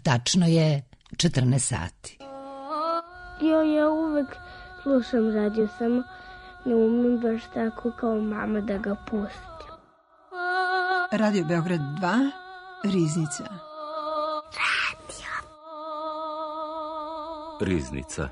Tačno je 14 sati. Ja uvek slušam radio, samo ne umem baš tako kao mama da ga pustim. Radio Beograd 2, Riznica. Riznica.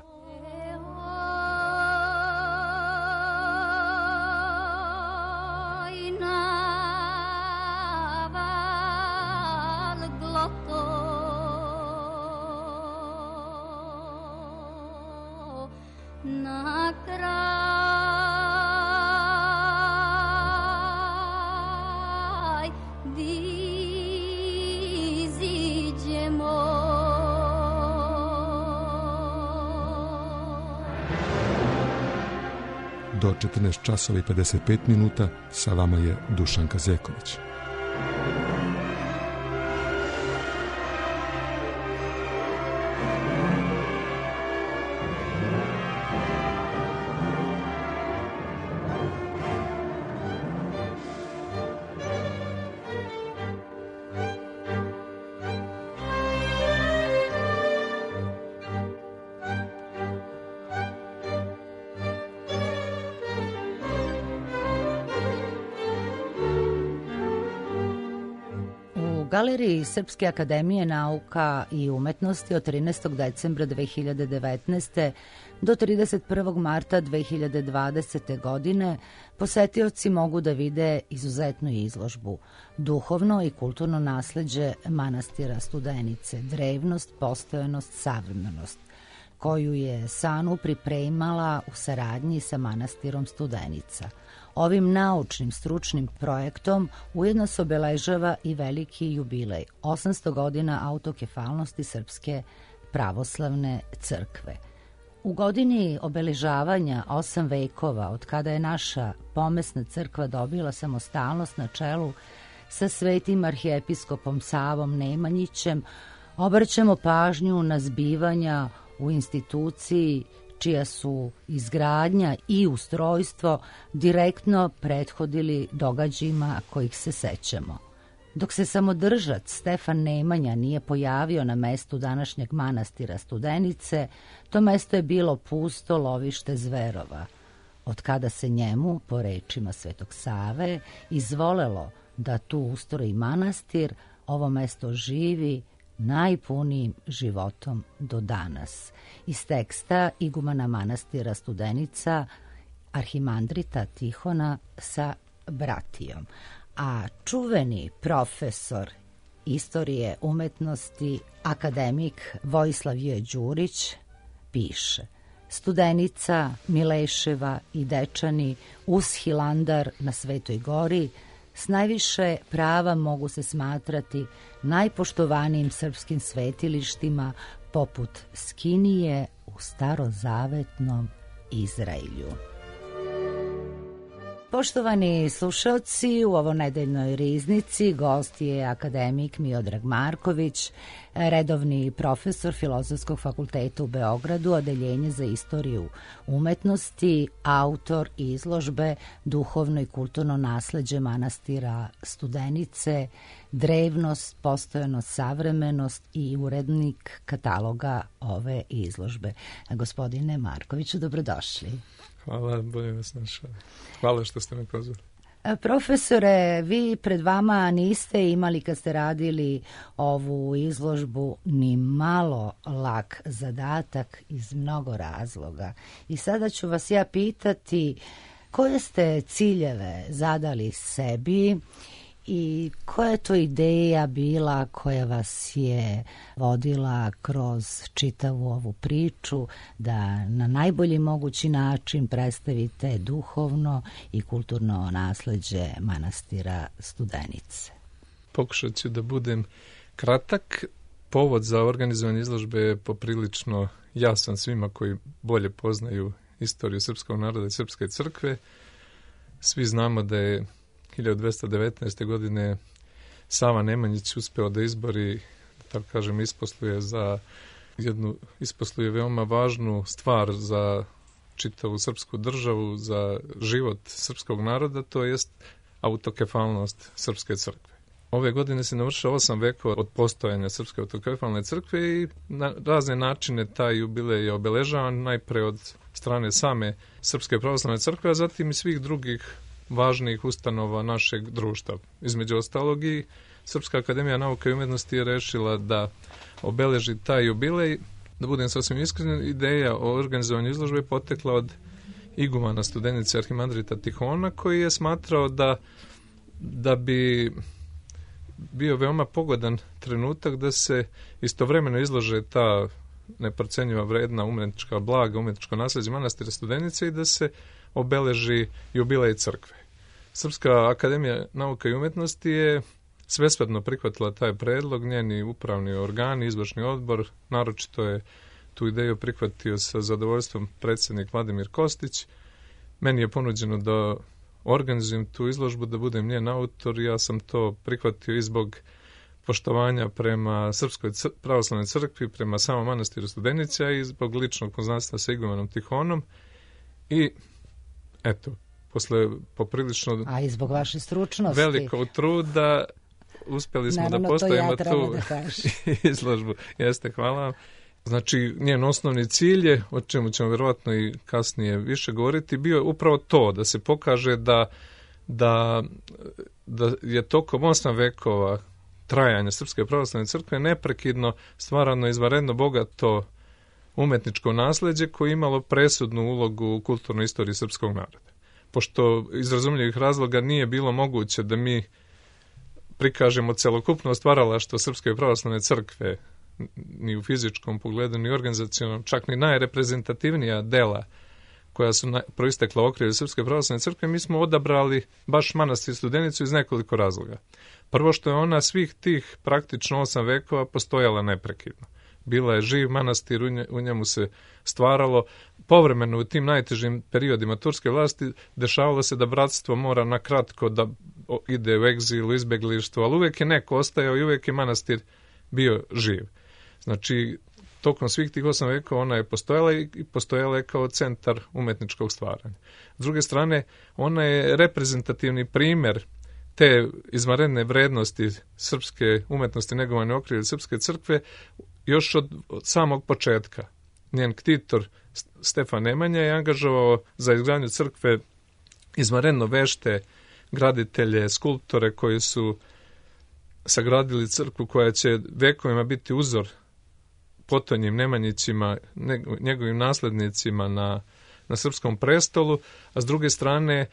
Do 14 časova i 55 minuta sa vama je Dušan Kazeković. U Galeriji Srpske akademije nauka i umetnosti od 13. decembra 2019. do 31. marta 2020. godine posetioci mogu da vide izuzetnu izložbu Duhovno i kulturno nasleđe manastira Studenice, drevnost, postojanost, savremenost, koju je SANU pripremala u saradnji sa manastirom Studenica. Ovim naučnim stručnim projektom ujedno se obeležava i veliki jubilej, 800 godina autokefalnosti Srpske pravoslavne crkve. U godini obeležavanja 8 vekova od kada je naša pomesna crkva dobila samostalnost na čelu sa svetim arhijepiskopom Savom Nemanjićem, obraćamo pažnju na zbivanja u instituciji čija su izgradnja i ustrojstvo direktno prethodili događajima kojih se sećamo. Dok se samodržac Stefan Nemanja nije pojavio na mestu današnjeg manastira Studenice, to mesto je bilo pusto lovište zverova. Od kada se njemu, po rečima Svetog Save, izvolelo da tu ustroji manastir, ovo mesto živi najpunijim životom do danas. Iz teksta igumana manastira Studenica, arhimandrita Tihona sa bratijom. A čuveni profesor istorije umetnosti, akademik Vojislav J. Đurić, piše: Studenica, Mileševa i Dečani uz Hilandar na Svetoj gori s najviše prava mogu se smatrati najpoštovanijim srpskim svetilištima poput Skinije u starozavetnom Izraelju. Poštovani slušalci, u ovonedeljnoj riznici gost je akademik Miodrag Marković, redovni profesor Filozofskog fakulteta u Beogradu, odeljenje za istoriju umetnosti, autor izložbe Duhovno i kulturno nasleđe manastira Studenice, drevnost, postojanost, savremenost i urednik kataloga ove izložbe. Gospodine Markoviću, dobrodošli. Hvala, bolje vas našao. Hvala što ste me pozvali. Profesore, vi pred vama niste imali, kad ste radili ovu izložbu, ni malo lak zadatak iz mnogo razloga. I sada ću vas ja pitati koje ste ciljeve zadali sebi i koja je to ideja bila koja vas je vodila kroz čitavu ovu priču da na najbolji mogući način predstavite duhovno i kulturno nasleđe manastira Studenice? Pokušat ću da budem kratak. Povod za organizovanje izložbe je poprilično jasan svima koji bolje poznaju istoriju srpskog naroda i srpske crkve. Svi znamo da je 1219. godine Sava Nemanjić uspeo da izbori, da tako kažem, isposluje veoma važnu stvar za čitavu srpsku državu, za život srpskog naroda, to jest autokefalnost srpske crkve. Ove godine se navršava 8 vekova od postojanja Srpske autokefalne crkve i na razne načine taj jubilej je obeležavan, najpre od strane same Srpske pravoslavne crkve, a zatim i svih drugih važnih ustanova našeg društva. Između ostalog i Srpska akademija nauka i umjetnosti je rešila da obeleži taj jubilej. Da budem sasvim iskren, ideja o organizovanju izložbe potekla od igumana studenice Arhimandrita Tihona, koji je smatrao da bi bio veoma pogodan trenutak da se istovremeno izlože ta neprocenjiva vredna umjetnička blaga, umjetničko nasljeđe manastira Studenice i da se obeleži jubilej crkve. Srpska akademija nauka i umjetnosti je svesrdno prihvatila taj predlog, njeni upravni organi, izvršni odbor, naročito je tu ideju prihvatio sa zadovoljstvom predsjednik Vladimir Kostić. Meni je ponuđeno da organizujem tu izložbu, da budem njen autor, ja sam to prihvatio i zbog poštovanja prema Srpskoj pravoslavnoj crkvi, prema samom manastiru Studenica i zbog ličnog poznanstva sa igumanom Tihonom. I eto, posle poprilično a i zbog vaše stručnosti velikog truda uspjeli smo da postavimo tu izložbu. Jeste, hvala vam. Znači, njen osnovni cilj je, o čemu ćemo vjerovatno i kasnije više govoriti, bio je upravo to, da se pokaže da je tokom 8 vekova trajanja Srpske pravoslavne crkve neprekidno stvarano izvanredno bogato umetničko nasljeđe koje je imalo presudnu ulogu u kulturnoj istoriji srpskog naroda. Pošto iz razumljivih razloga nije bilo moguće da mi prikažemo celokupno stvaralaštvo Srpske pravoslavne crkve ni u fizičkom pogledu, ni organizacionom, čak ni najreprezentativnija dela koja su proistekla u okrilju Srpske pravoslavne crkve, mi smo odabrali baš manastir Studenicu iz nekoliko razloga. Prvo što je ona svih tih praktično 8 vekova postojala neprekidno. Bila je živ manastir, u njemu se stvaralo. Povremeno u tim najtežim periodima turske vlasti dešavalo se da bratstvo mora na kratko da ide u egzil, u izbeglištvo, ali uvijek je neko ostajao i uvijek je manastir bio živ. Znači, tokom svih tih 8 vekova ona je postojala i postojala je kao centar umetničkog stvaranja. S druge strane, ona je reprezentativni primjer te izvanredne vrednosti srpske umetnosti negovane u okrilju Srpske crkve još od samog početka. Njen ktitor Stefan Nemanja je angažovao za izgradnju crkve izvanredno vešte graditelje, skulptore koji su sagradili crkvu koja će vekovima biti uzor potonjim Nemanjićima, njegovim naslednicima na srpskom prestolu, a s druge strane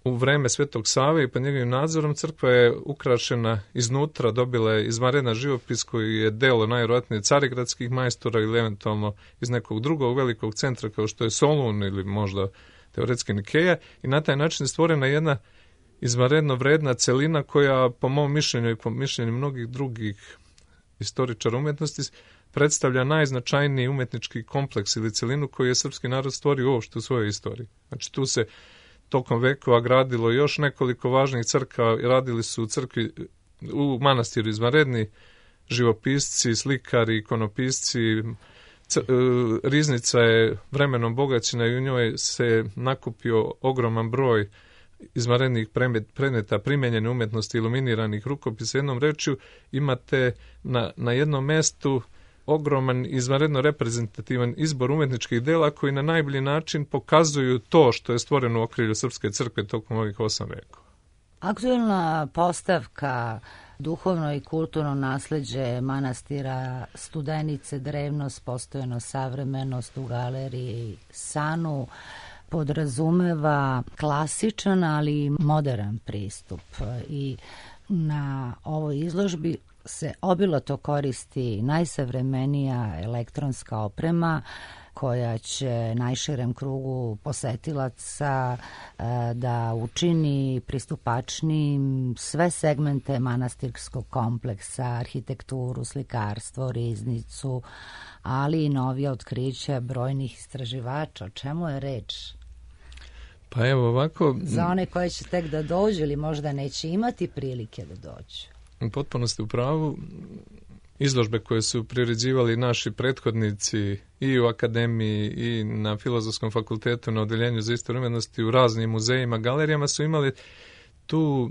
u vreme Svetog Save i pod njegovim nadzorom crkva je ukrašena iznutra, dobila je izvanredan živopis koji je delo najvjerojatnije carigradskih majstora ili eventualno iz nekog drugog velikog centra kao što je Solun ili možda teoretski Nikeja, i na taj način je stvorena jedna izvanredno vredna celina koja po mom mišljenju i po mišljenju mnogih drugih istoričara umjetnosti predstavlja najznačajniji umetnički kompleks ili celinu koju je srpski narod stvorio uopšte u svojoj istoriji. Znači tu se tokom vekova gradilo još nekoliko važnih crkava, radili su u crkvi u manastiru izvanredni živopisci, slikari, ikonopisci. Riznica je vremenom bogaćena i u njoj se nakupio ogroman broj izvanrednih predmeta primjenjene umjetnosti, iluminiranih rukopisa. Jednom rečju imate na jednom mestu ogroman, izvanredno reprezentativan izbor umjetničkih dela koji na najbolji način pokazuju to što je stvoreno u okrilju Srpske crkve tokom ovih 8 vekova. Aktuelna postavka duhovno i kulturno nasljeđe manastira Studenice, drevnost, postojano, savremenost u galeriji Sanu podrazumeva klasičan, ali i modern pristup. I na ovoj izložbi se obilato koristi najsavremenija elektronska oprema koja će najširem krugu posetilaca da učini pristupačnim sve segmente manastirskog kompleksa, arhitekturu, slikarstvo, riznicu, ali i novija otkrića brojnih istraživača. O čemu je reč? Pa evo ovako... Za one koje će tek da dođu ili možda neće imati prilike da dođu. Potpuno ste u pravu. Izložbe koje su priređivali naši prethodnici i u akademiji i na Filozofskom fakultetu na odeljenju za istoriju umjetnosti u raznim muzejima, galerijama su imali tu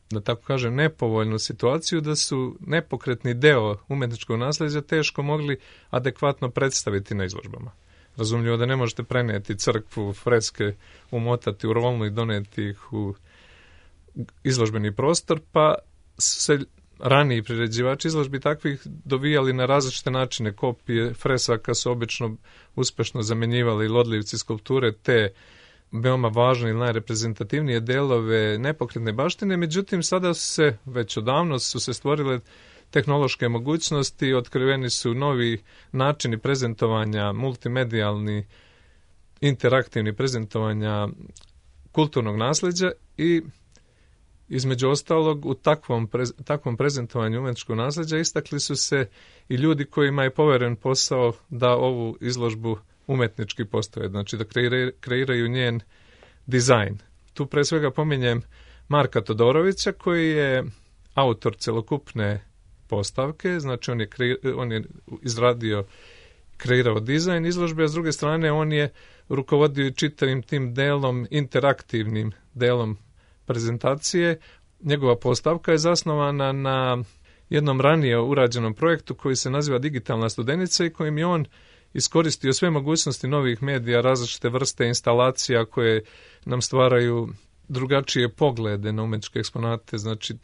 da tako kažem, nepovoljnu situaciju da su nepokretni deo umetničkog nasljeđa teško mogli adekvatno predstaviti na izložbama. Razumljivo da ne možete prenijeti crkvu, freske, umotati u rolnu i doneti ih u izložbeni prostor, pa se raniji priređivači izložbi takvih dovijali na različite načine. Kopije fresaka su obično uspešno zamjenjivali lodljivci skulpture, te veoma važne i najreprezentativnije delove nepokretne baštine, međutim sada već odavno su se stvorile tehnološke mogućnosti, otkriveni su novi načini prezentovanja, multimedijalni, interaktivni prezentovanja kulturnog nasljeđa i između ostalog u takvom prezentovanju umetničkog nasljeđa istakli su se i ljudi kojima je poveren posao da ovu izložbu umetnički postave, znači da kreiraju njen dizajn. Tu pre svega pominjem Marka Todorovića koji je autor celokupne postavke, znači on je kreirao dizajn izložbe, a s druge strane on je rukovodio i čitavim tim delom, interaktivnim delom prezentacije. Njegova postavka je zasnovana na jednom ranije urađenom projektu koji se naziva Digitalna studenica i kojim je on iskoristio sve mogućnosti novih medija, različite vrste instalacija koje nam stvaraju drugačije poglede na umetničke eksponate, znači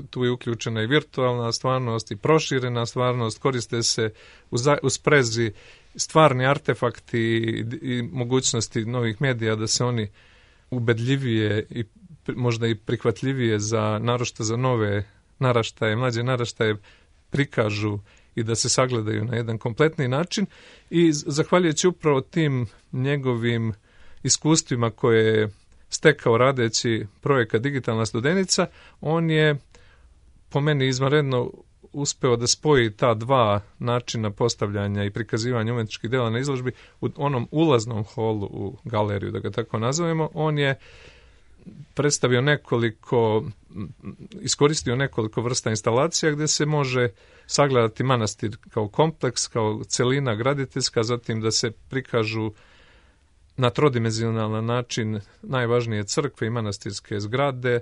tu je uključena i virtualna stvarnost i proširena stvarnost, koriste se u sprezi stvarni artefakti i mogućnosti novih medija da se oni ubedljivije i možda i prihvatljivije naročito za nove naraštaje, mlađe naraštaje prikažu i da se sagledaju na jedan kompletni način i zahvaljujući upravo tim njegovim iskustvima koje je stekao radeći projekat Digitalna studenica, on je po meni izvanredno uspeo da spoji ta dva načina postavljanja i prikazivanja umetničkih dela na izložbi u onom ulaznom holu u galeriju, da ga tako nazovemo. On je iskoristio nekoliko vrsta instalacija gdje se može sagledati manastir kao kompleks, kao celina graditeljska, zatim da se prikažu na trodimenzionalan način najvažnije crkve i manastirske zgrade,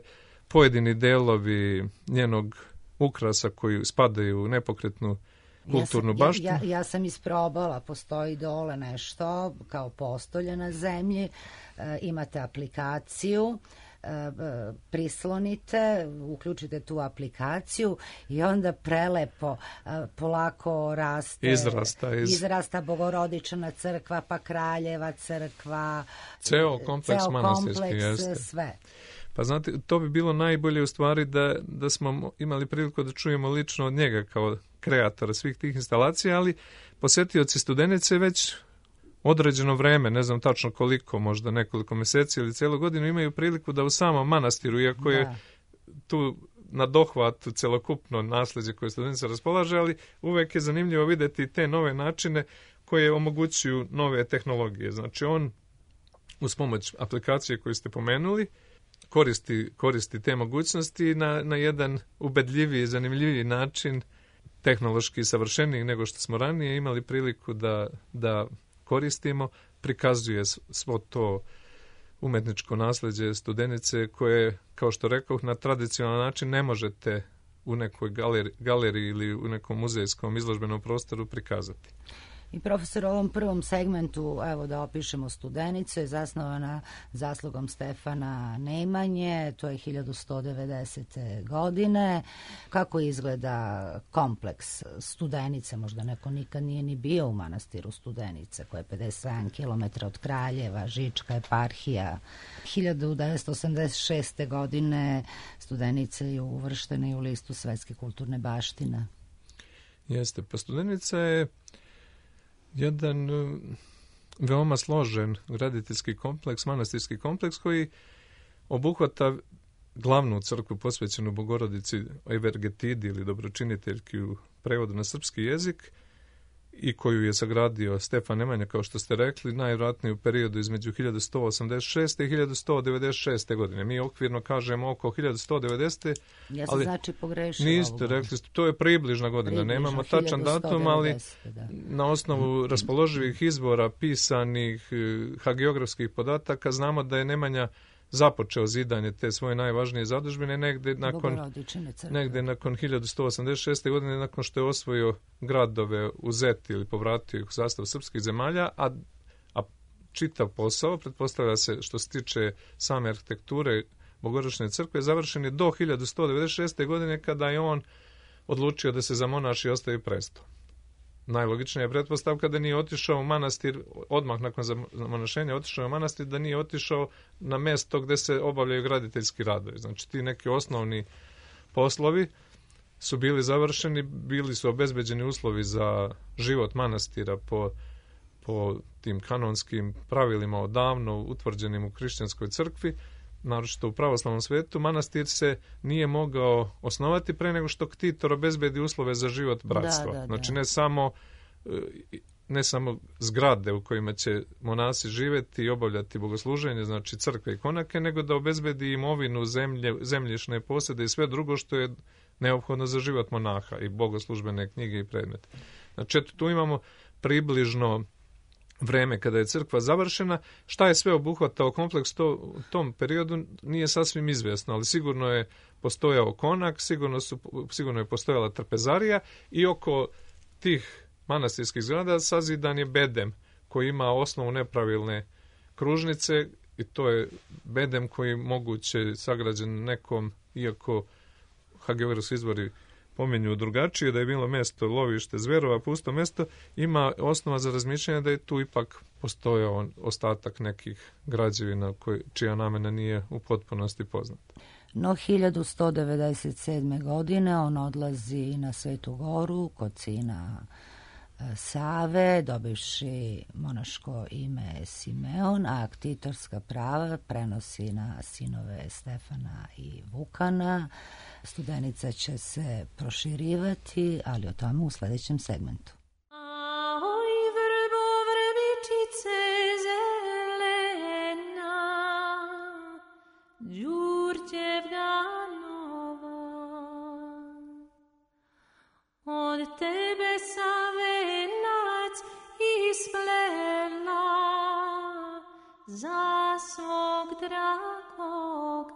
pojedini delovi njenog ukrasa koji spadaju u nepokretnu kulturnu baštinu. Ja sam isprobala, postoji dole nešto kao postolje na zemlji, imate aplikaciju, prislonite, uključite tu aplikaciju i onda prelepo, polako raste, izrasta Bogorodična crkva, pa Kraljeva crkva, ceo kompleks manastirski, jeste. Sve. Pa znate, to bi bilo najbolje u stvari da smo imali priliku da čujemo lično od njega kao kreatora svih tih instalacija, ali posetioci Studenice već određeno vreme, ne znam tačno koliko, možda nekoliko mjeseci ili cijelu godinu, imaju priliku da u samom manastiru, iako je tu na dohvat celokupno nasljeđe koje Studenica raspolaže, ali uvek je zanimljivo vidjeti te nove načine koje omogućuju nove tehnologije. Znači on uz pomoć aplikacije koju ste pomenuli koristi te mogućnosti na jedan ubedljiviji i zanimljiviji način, tehnološki savršeniji nego što smo ranije imali priliku da koristimo, prikazuje svo to umetničko nasljeđe Studenice koje, kao što rekao, na tradicionalan način ne možete u nekoj galeriji ili u nekom muzejskom izložbenom prostoru prikazati. I profesor, u ovom prvom segmentu, evo da opišemo Studenicu, je zasnovana zaslugom Stefana Nemanje, to je 1190. godine. Kako izgleda kompleks Studenice? Možda neko nikad nije ni bio u manastiru Studenice, koja je 57 km od Kraljeva, Žička eparhija. 1986. godine Studenica je uvrštena i u listu Svetske kulturne baštine. Jeste, pa Studenica je jedan veoma složen graditeljski kompleks, manastirski kompleks koji obuhvata glavnu crkvu posvećenu Bogorodici Evergetidi ili dobročiniteljki u prevodu na srpski jezik i koju je sagradio Stefan Nemanja, kao što ste rekli, najvjerojatnije u periodu između 1186. i 1196. godine. Mi okvirno kažemo oko 1190. Ja sam znači pogrešila. Niste rekli, to je približna godina. Nemamo tačan datum, ali na osnovu raspoloživih izvora, pisanih, hagiografskih podataka, znamo da je Nemanja započeo zidanje te svoje najvažnije zadužbine negde nakon 1186. godine, nakon što je osvojio gradove u Zeti ili povratio ih u sastav srpskih zemalja, a čitav posao, pretpostavlja se što se tiče same arhitekture Bogorodične crkve, završen je do 1196. godine kada je on odlučio da se zamonaši i ostavi presto. Najlogičnija je pretpostavka da nije otišao u manastir, odmah nakon zamonašenja otišao u manastir, da nije otišao na mesto gde se obavljaju graditeljski radovi. Znači ti neki osnovni poslovi su bili završeni, bili su obezbeđeni uslovi za život manastira po tim kanonskim pravilima odavno utvrđenim u hrišćanskoj crkvi, naročito u pravoslavnom svetu. Manastir se nije mogao osnovati pre nego što ktitor obezbedi uslove za život bratstva. Znači ne samo zgrade u kojima će monasi živjeti i obavljati bogosluženje, znači crkve i konake, nego da obezbedi imovinu, zemljišne posede i sve drugo što je neophodno za život monaha i bogoslužbene knjige i predmete. Znači tu imamo približno vreme kada je crkva završena. Šta je sve obuhvatao kompleks u tom periodu nije sasvim izvjesno, ali sigurno je postojao konak, sigurno je postojala trpezarija i oko tih manastirskih zgrada sazidan je bedem koji ima osnovu nepravilne kružnice i to je bedem koji moguće sagrađen nekom, iako Hageverus izvori pominju drugačije, da je bilo mesto lovište zverova, pusto mesto, ima osnova za razmišljanje da je tu ipak postojao ostatak nekih građevina čija namena nije u potpunosti poznata. No 1197. godine on odlazi na Svetu Goru kod sina Save, dobivši monaško ime Simeon, a ktitorska prava prenosi na sinove Stefana i Vukana. Studenica će se proširivati, ali o tome u sljedećem segmentu. Od tebe savenac isplela za svog dragoga.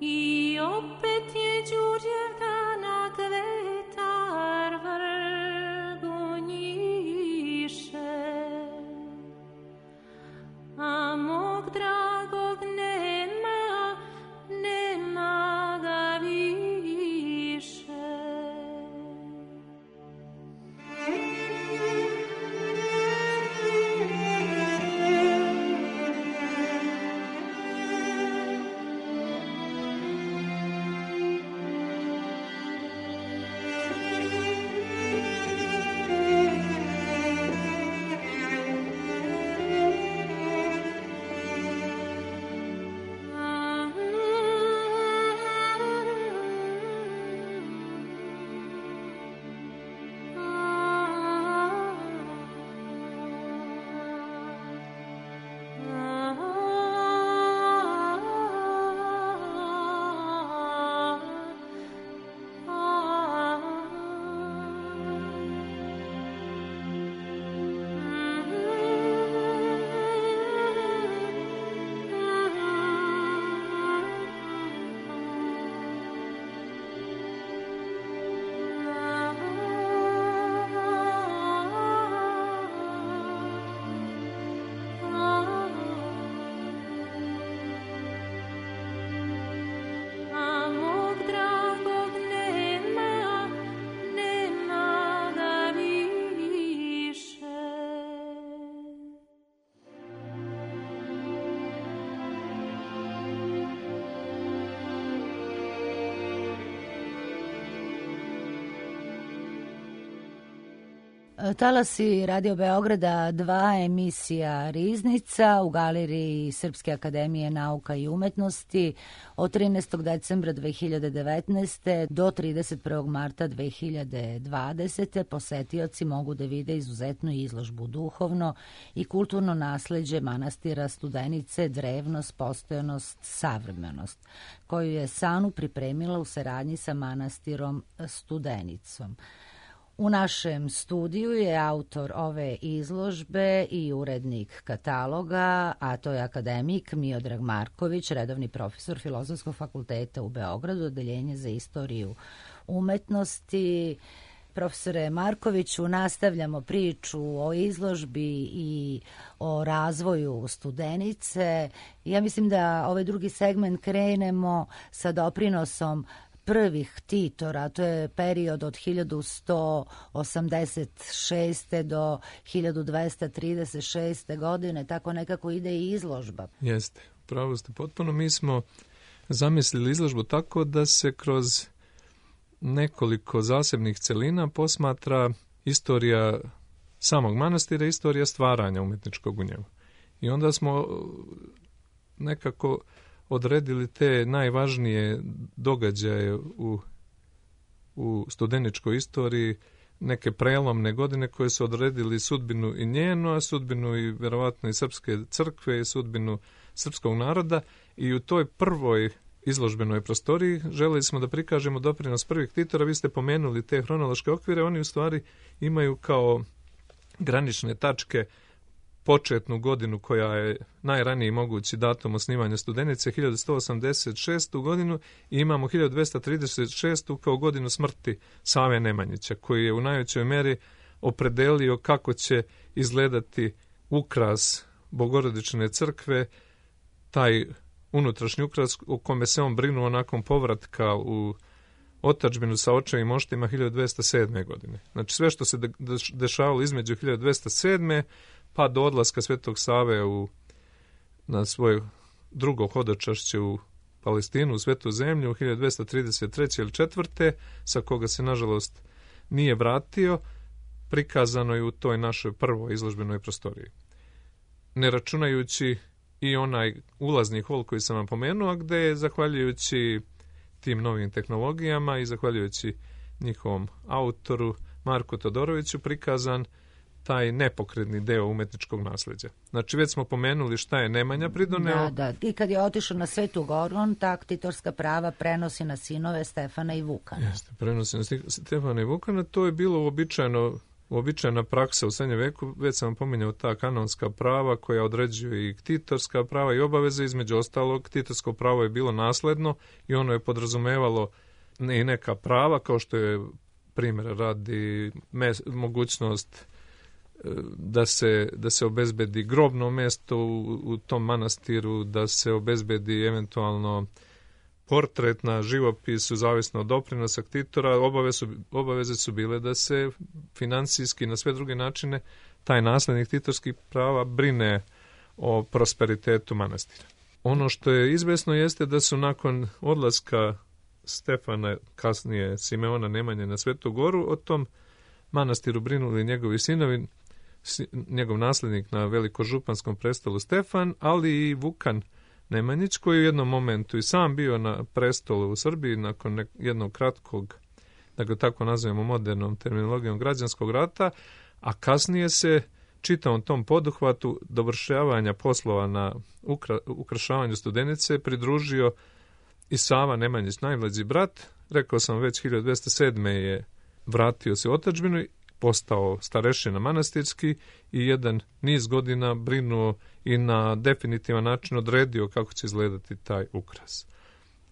I opet je Đurđevdana kvetar vrgu njiše, a mog dragog nema ga više. Talasi Radio Beograda 2, emisija Riznica u Galeriji Srpske akademije nauka i umetnosti od 13. decembra 2019. do 31. marta 2020. Posetioci mogu da vide izuzetnu izložbu duhovno i kulturno nasleđe manastira Studenice, drevnost, postojanost, savremenost, koju je Sanu pripremila u saradnji sa manastirom Studenicom. U našem studiju je autor ove izložbe i urednik kataloga, a to je akademik Miodrag Marković, redovni profesor Filozofskog fakulteta u Beogradu, odeljenje za istoriju umetnosti. Profesore Markoviću, nastavljamo priču o izložbi i o razvoju Studenice. Ja mislim da ovaj drugi segment krenemo sa doprinosom prvih ktitora, to je period od 1186. do 1236. godine, tako nekako ide i izložba. Jeste, pravo ste potpuno. Mi smo zamislili izložbu tako da se kroz nekoliko zasebnih celina posmatra istorija samog manastira, istorija stvaranja umetničkog u njemu. I onda smo nekako odredili te najvažnije događaje u studeničkoj istoriji, neke prelomne godine koje su odredili sudbinu i njenu, a sudbinu i verovatno i srpske crkve i sudbinu srpskog naroda. I u toj prvoj izložbenoj prostoriji želeli smo da prikažemo doprinos prvih ktitora. Vi ste pomenuli te hronološke okvire, oni u stvari imaju kao granične tačke početnu godinu koja je najraniji mogući datum osnivanja Studenice, 1186. godinu, i imamo 1236. kao godinu smrti Save Nemanjića, koji je u najvećoj meri opredelio kako će izgledati ukras Bogorodične crkve, taj unutrašnji ukras o kome se on brinuo nakon povratka u otadžbinu sa očevim moštima 1207. godine. Znači sve što se dešavalo između 1207. pa do odlaska Svetog Save na svoje drugo hodočašće u Palestinu, u Svetu zemlju, u 1233. ili 4. sa koga se nažalost nije vratio, prikazano je u toj našoj prvoj izložbenoj prostoriji. Ne računajući i onaj ulazni hol koji sam vam pomenuo, gde je, zahvaljujući tim novim tehnologijama i zahvaljujući njihovom autoru Marku Todoroviću, prikazan taj nepokretni deo umetničkog nasleđa. Znači, već smo pomenuli šta je Nemanja pridoneo. Da. I kad je otišao na Svetu Goru, on ta ktitorska prava prenosi na sinove Stefana i Vukana. Jeste, prenosi na Stefana i Vukana. To je bilo uobičajena praksa u srednjem veku. Već sam vam pominjao ta kanonska prava koja određuje i ktitorska prava i obaveze. Između ostalog, ktitorsko pravo je bilo nasledno i ono je podrazumevalo i neka prava, kao što je primjer radi mogućnost da se obezbedi grobno mesto u tom manastiru, da se obezbedi eventualno portret na živopisu, zavisno od doprinosa ktitora. Obaveze su bile da se finansijski na sve druge načine taj naslednik ktitorskih prava brine o prosperitetu manastira. Ono što je izvesno jeste da su nakon odlaska Stefana, kasnije Simeona Nemanje na Svetu Goru, o tom manastiru brinuli njegovi sinovi, njegov naslednik na velikožupanskom prestolu Stefan, ali i Vukan Nemanjić, koji u jednom momentu i sam bio na prestolu u Srbiji nakon jednog kratkog, da ga tako nazovemo modernom terminologijom, građanskog rata, a kasnije se čitavom tom poduhvatu dovršavanja poslova na ukrašavanju Studenice pridružio i Sava Nemanjić, najmlađi brat. Rekao sam već, 1207. je vratio se u otadžbinu, postao starešina manastirski i jedan niz godina brinuo i na definitivan način odredio kako će izgledati taj ukras.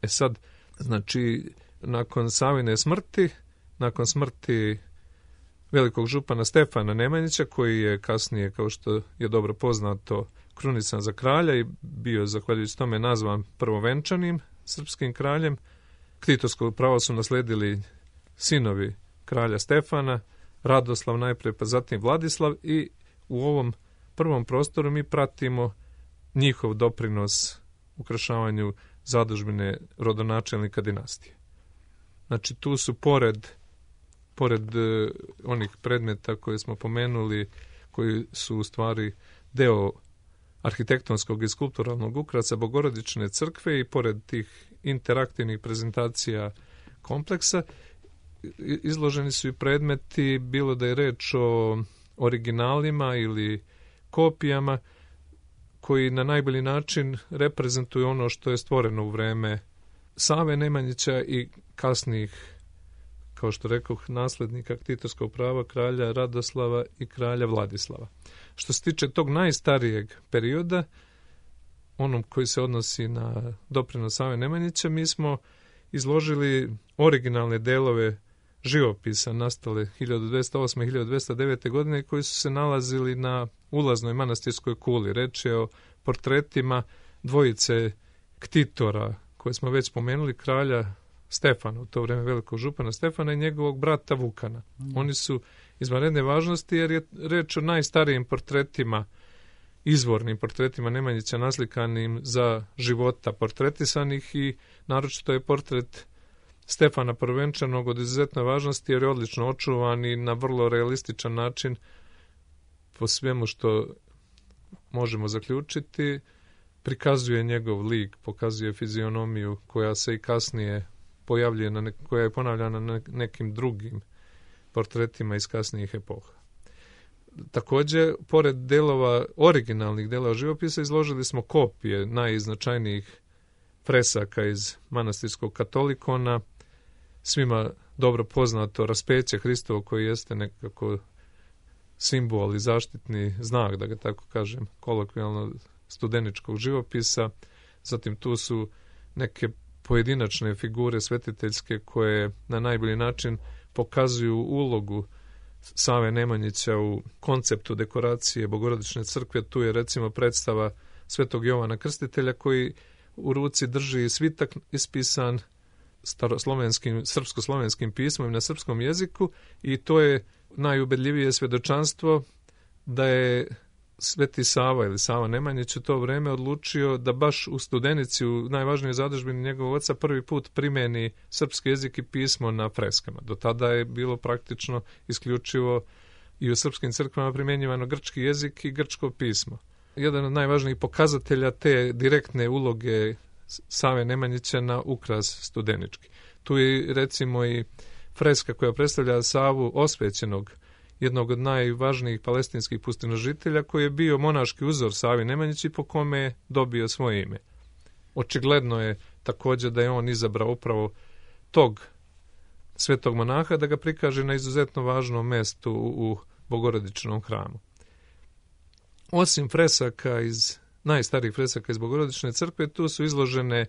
Sad, znači, nakon Savine smrti, nakon smrti velikog župana Stefana Nemanjića, koji je kasnije, kao što je dobro poznato, krunican za kralja i bio, zahvaljujući tome, nazvan prvovenčanim srpskim kraljem, ktitorsko pravo su nasledili sinovi kralja Stefana, Radoslav najpre, pa zatim Vladislav, i u ovom prvom prostoru mi pratimo njihov doprinos ukrašavanju zadužbine rodonačelnika dinastije. Znači, tu su pored onih predmeta koje smo pomenuli, koji su u stvari deo arhitektonskog i skulpturalnog ukrasa Bogorodične crkve, i pored tih interaktivnih prezentacija kompleksa, izloženi su i predmeti, bilo da je reč o originalima ili kopijama, koji na najbolji način reprezentuju ono što je stvoreno u vreme Save Nemanjića i kasnijih kao što rekoh, naslednika ktitorskog prava kralja Radoslava i kralja Vladislava. Što se tiče tog najstarijeg perioda, onom koji se odnosi na doprinos Save Nemanjića, mi smo izložili originalne delove živopisa nastale 1208. i 1209. godine koji su se nalazili na ulaznoj manastirskoj kuli. Reč je o portretima dvojice ktitora koje smo već spomenuli, kralja Stefana, u to vreme velikog župana Stefana i njegovog brata Vukana. Oni su izvanredne važnosti jer je reč o najstarijim portretima, izvornim portretima Nemanjića naslikanim za života portretisanih i naročito je portret Stefana Prvenčanog od izuzetne važnosti jer je odlično očuvan i na vrlo realističan način po svemu što možemo zaključiti prikazuje njegov lik, pokazuje fizionomiju koja se i kasnije pojavljuje, koja je ponavljana na nekim drugim portretima iz kasnijih epoha. Također, pored originalnih delova živopisa, izložili smo kopije najiznačajnijih fresaka iz manastirskog katolikona, svima dobro poznato raspeće Hristovo koji jeste nekako simbol i zaštitni znak, da ga tako kažem, kolokvijalno studeničkog živopisa. Zatim tu su neke pojedinačne figure svetiteljske koje na najbolji način pokazuju ulogu Save Nemanjića u konceptu dekoracije Bogorodične crkve. Tu je recimo predstava Svetog Jovana Krstitelja koji u ruci drži svitak ispisan srpsko-slovenskim pismom na srpskom jeziku i to je najubedljivije svjedočanstvo da je Sveti Sava ili Sava Nemanjić u to vreme odlučio da baš u Studenici, u najvažnijoj zadužbini njegovog oca, prvi put primeni srpski jezik i pismo na freskama. Do tada je bilo praktično isključivo i u srpskim crkvama primjenjivano grčki jezik i grčko pismo. Jedan od najvažnijih pokazatelja te direktne uloge Save Nemanjića na ukras studenički. Tu je recimo i freska koja predstavlja Savu osvećenog, jednog od najvažnijih palestinskih pustinožitelja koji je bio monaški uzor Savi Nemanjić i po kome je dobio svoje ime. Očigledno je također da je on izabrao upravo tog svetog monaha da ga prikaže na izuzetno važnom mestu u Bogorodičnom hramu. Osim fresaka najstarijih fresaka iz Bogorodične crkve, tu su izložene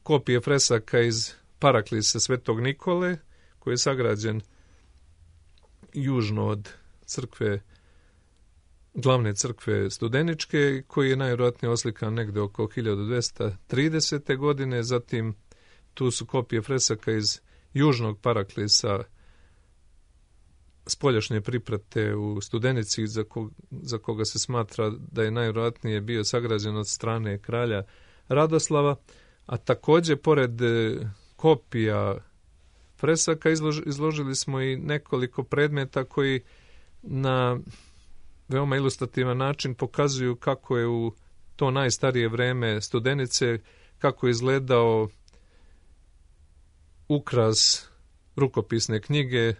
kopije fresaka iz Paraklisa Svetog Nikole, koji je sagrađen južno od glavne crkve Studeničke, koji je najvjerojatnije oslikan negde oko 1230. godine. Zatim tu su kopije fresaka iz južnog Paraklisa spoljašnje priprate u Studenici, za koga se smatra da je najvjerojatnije bio sagrađen od strane kralja Radoslava, a također pored kopija fresaka izložili smo i nekoliko predmeta koji na veoma ilustrativan način pokazuju kako je u to najstarije vreme Studenice, kako je izgledao ukras rukopisne knjige.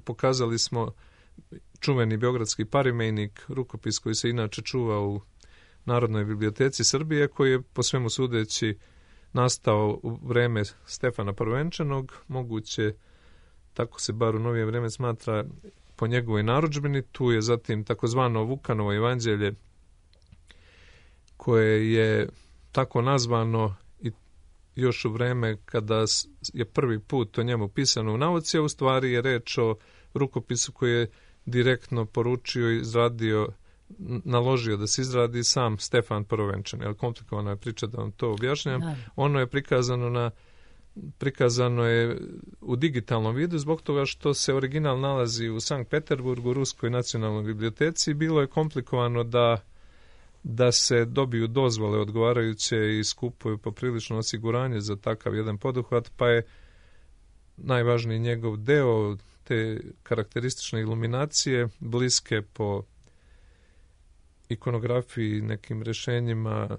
Pokazali smo čuveni beogradski parimejnik, rukopis koji se inače čuva u Narodnoj biblioteci Srbije, koji je po svemu sudeći nastao u vreme Stefana Prvenčanog, moguće, tako se bar u novije vreme smatra, po njegovoj narudžbini. Tu je zatim takozvano Vukanovo evanđelje, koje je tako nazvano i još u vreme kada je prvi put o njemu pisano u nauci, a u stvari je reč o rukopisu koji je direktno poručio i izradio, naložio da se izradi sam Stefan Prvenčan. Jel, komplikovana je priča da vam to objašnjam. Ono je prikazano je u digitalnom vidu zbog toga što se original nalazi u Sankt Peterburgu, u Ruskoj nacionalnoj biblioteci. Bilo je komplikovano da se dobiju dozvole odgovarajuće i skupuju poprilično osiguranje za takav jedan poduhvat, pa je najvažniji njegov deo te karakteristične iluminacije, bliske po ikonografiji, nekim rješenjima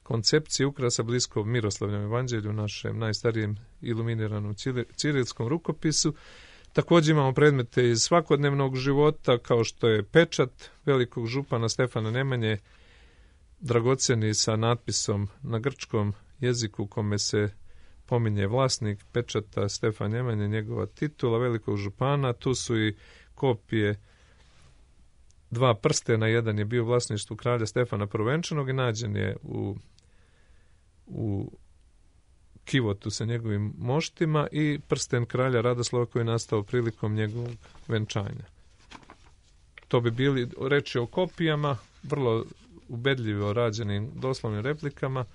koncepcije ukrasa, blisko Miroslavljevom evanđelju, našem najstarijem iluminiranom cirilskom rukopisu. Također imamo predmete iz svakodnevnog života, kao što je pečat velikog župana Stefana Nemanje, dragoceni sa natpisom na grčkom jeziku, kome se pominje vlasnik pečata Stefan Nemanja, njegova titula velikog župana. Tu su i kopije 2 prstena, jedan je bio vlasništvu kralja Stefana Prvenčanog i nađen je u kivotu sa njegovim moštima, i prsten kralja Radoslava koji je nastao prilikom njegovog venčanja. To bi bili reči o kopijama, vrlo ubedljivo rađenim doslovnim replikama,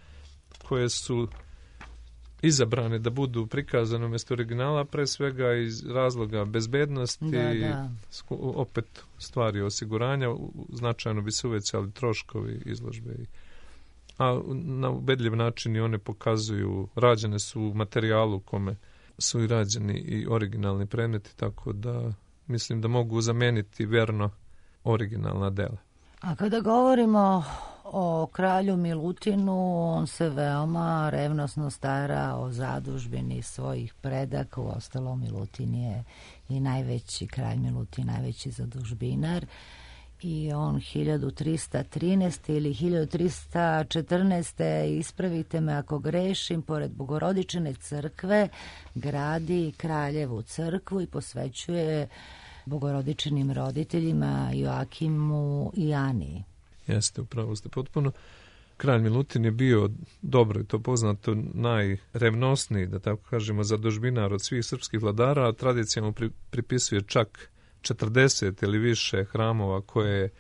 koje su izabrane da budu prikazane umjesto originala, pre svega iz razloga bezbednosti, opet stvari osiguranja, značajno bi se uvećali troškovi izložbe. A na ubedljiv način i one pokazuju, rađene su u materijalu kome su i rađeni i originalni predmeti, tako da mislim da mogu zameniti verno originalna dela. A kada govorimo o kralju Milutinu, on se veoma revnosno stara o zadužbini svojih predaka. Uostalom, Milutin je i najveći, kralj Milutin, najveći zadužbinar. I on 1313. ili 1314. ispravite me ako grešim, pored Bogorodičine crkve gradi kraljevu crkvu i posvećuje Bogorodičinim roditeljima Joakimu i Ani. Jeste, upravo ste potpuno. Kralj Milutin je bio, dobro je to poznato, najrevnosniji, da tako kažemo, zadužbinar od svih srpskih vladara, a tradicija mu pripisuje čak 40 ili više hramova koje je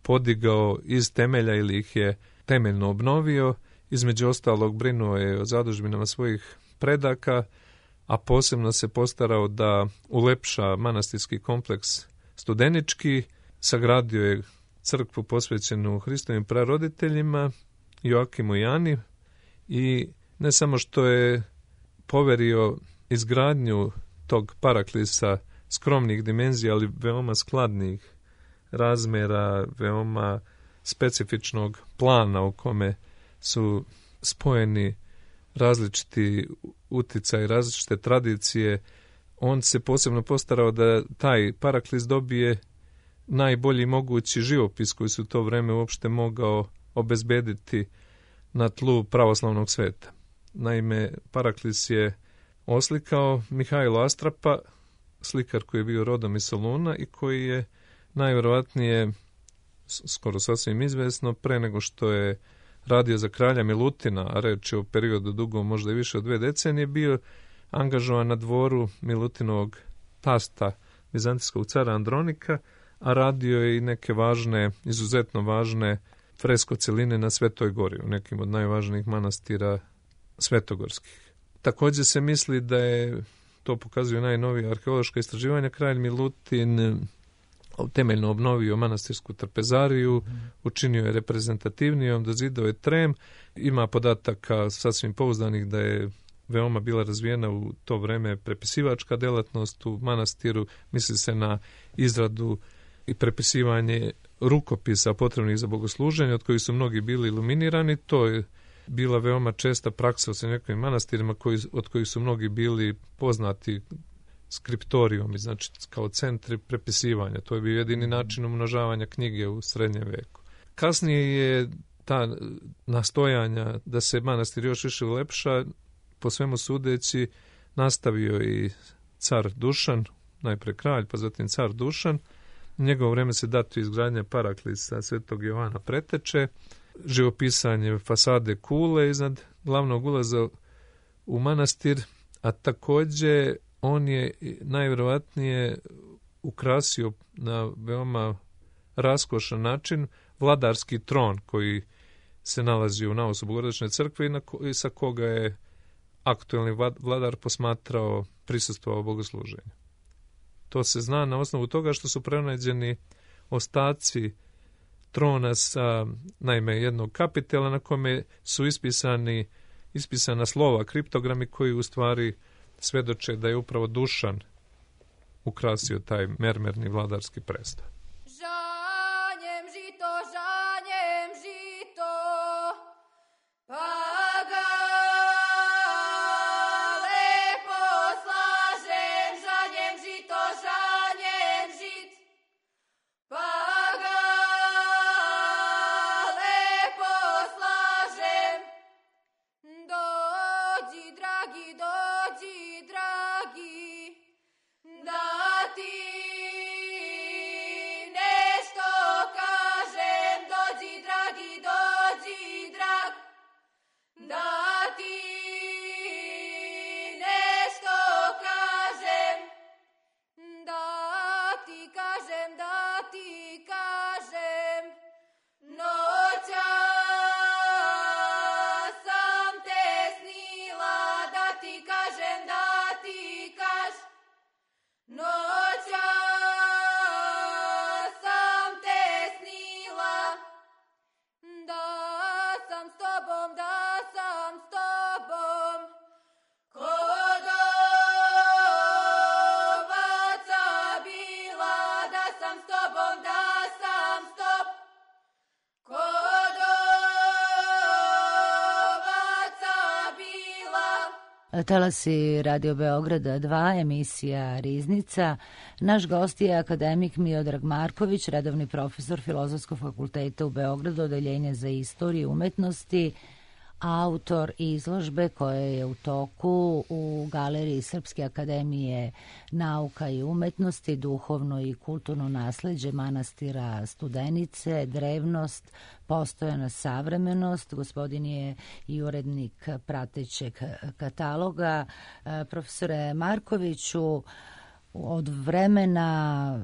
podigao iz temelja ili ih je temeljno obnovio. Između ostalog brinuo je o zadužbinama svojih predaka, a posebno se postarao da ulepša manastirski kompleks Studenički, sagradio je crkvu posvećenu Hristovim praroditeljima, Joakimu i Ani, i ne samo što je poverio izgradnju tog paraklisa skromnih dimenzija, ali veoma skladnih razmera, veoma specifičnog plana u kome su spojeni različiti uticaj, različite tradicije. On se posebno postarao da taj paraklis dobije najbolji mogući živopis koji se u to vreme uopšte mogao obezbediti na tlu pravoslavnog sveta. Naime, paraklis je oslikao Mihajlo Astrapa, slikar koji je bio rodom iz Soluna i koji je najvjerovatnije, skoro sasvim izvesno, pre nego što je radio za kralja Milutina, a reč je o periodu dugom možda i više od 2 decenije, bio angažovan na dvoru Milutinovog tasta, vizantijskog cara Andronika, a radio je i neke važne, izuzetno važne fresko celine na Svetoj gori, u nekim od najvažnijih manastira svetogorskih. Također se misli da je, to pokazuju najnovije arheološka istraživanja, kralj Milutin temeljno obnovio manastirsku trpezariju, učinio je reprezentativnijom, dozidao je trem. Ima podataka sasvim pouzdanih da je veoma bila razvijena u to vreme prepisivačka delatnost u manastiru. Misli se na izradu i prepisivanje rukopisa potrebnih za bogosluženje, od kojih su mnogi bili iluminirani. To je bila veoma česta praksa u srednjovekovnim manastirima, od kojih su mnogi bili poznati skriptorijom, znači kao centri prepisivanja. To je bio jedini način umnožavanja knjige u srednjem veku. Kasnije je ta nastojanja da se manastir još više ulepša, po svemu sudeći, nastavio i car Dušan, najpre kralj, pa zatim car Dušan. U njegovo vreme se datu izgradnja paraklisa Svetog Jovana Preteče, živopisanje fasade kule iznad glavnog ulaza u manastir, a također on je najvjerovatnije ukrasio na veoma raskošan način vladarski tron koji se nalazi u navosu Bogorodične crkve i sa koga je aktuelni vladar posmatrao, prisustvovao bogosluženju. To se zna na osnovu toga što su pronađeni ostaci trona sa, naime, jednog kapitela na kome su ispisana slova, kriptogrami koji u stvari svedoče da je upravo Dušan ukrasio taj mermerni vladarski presto. Žanjem žito, pa ga lepo slažem. Žanjem žit, pa ga lepo slažem. Dođi, dragi dragi, dođi, dragi, da ti nešto kažem, dođi, dragi, dođi, drag, da ti nešto kažem, da ti kažem, da ti kažem, noća sam te snila, da ti kažem, da ti kaž, noća sam te snila, da sam s tobom, da sam s tobom, kod ovaca bila, da sam s tobom, da sam s tobom, kod ovaca bila. Talasi Radio Beograda 2, emisija Riznica. Naš gost je akademik Miodrag Marković, redovni profesor Filozofskog fakulteta u Beogradu, odeljenje za istoriju umetnosti, autor izložbe koja je u toku u Galeriji Srpske akademije nauka i umetnosti, duhovno i kulturno nasleđe manastira Studenice, drevnost, postojana savremenost. Gospodin je i urednik pratećeg kataloga. Profesore Markoviću, od vremena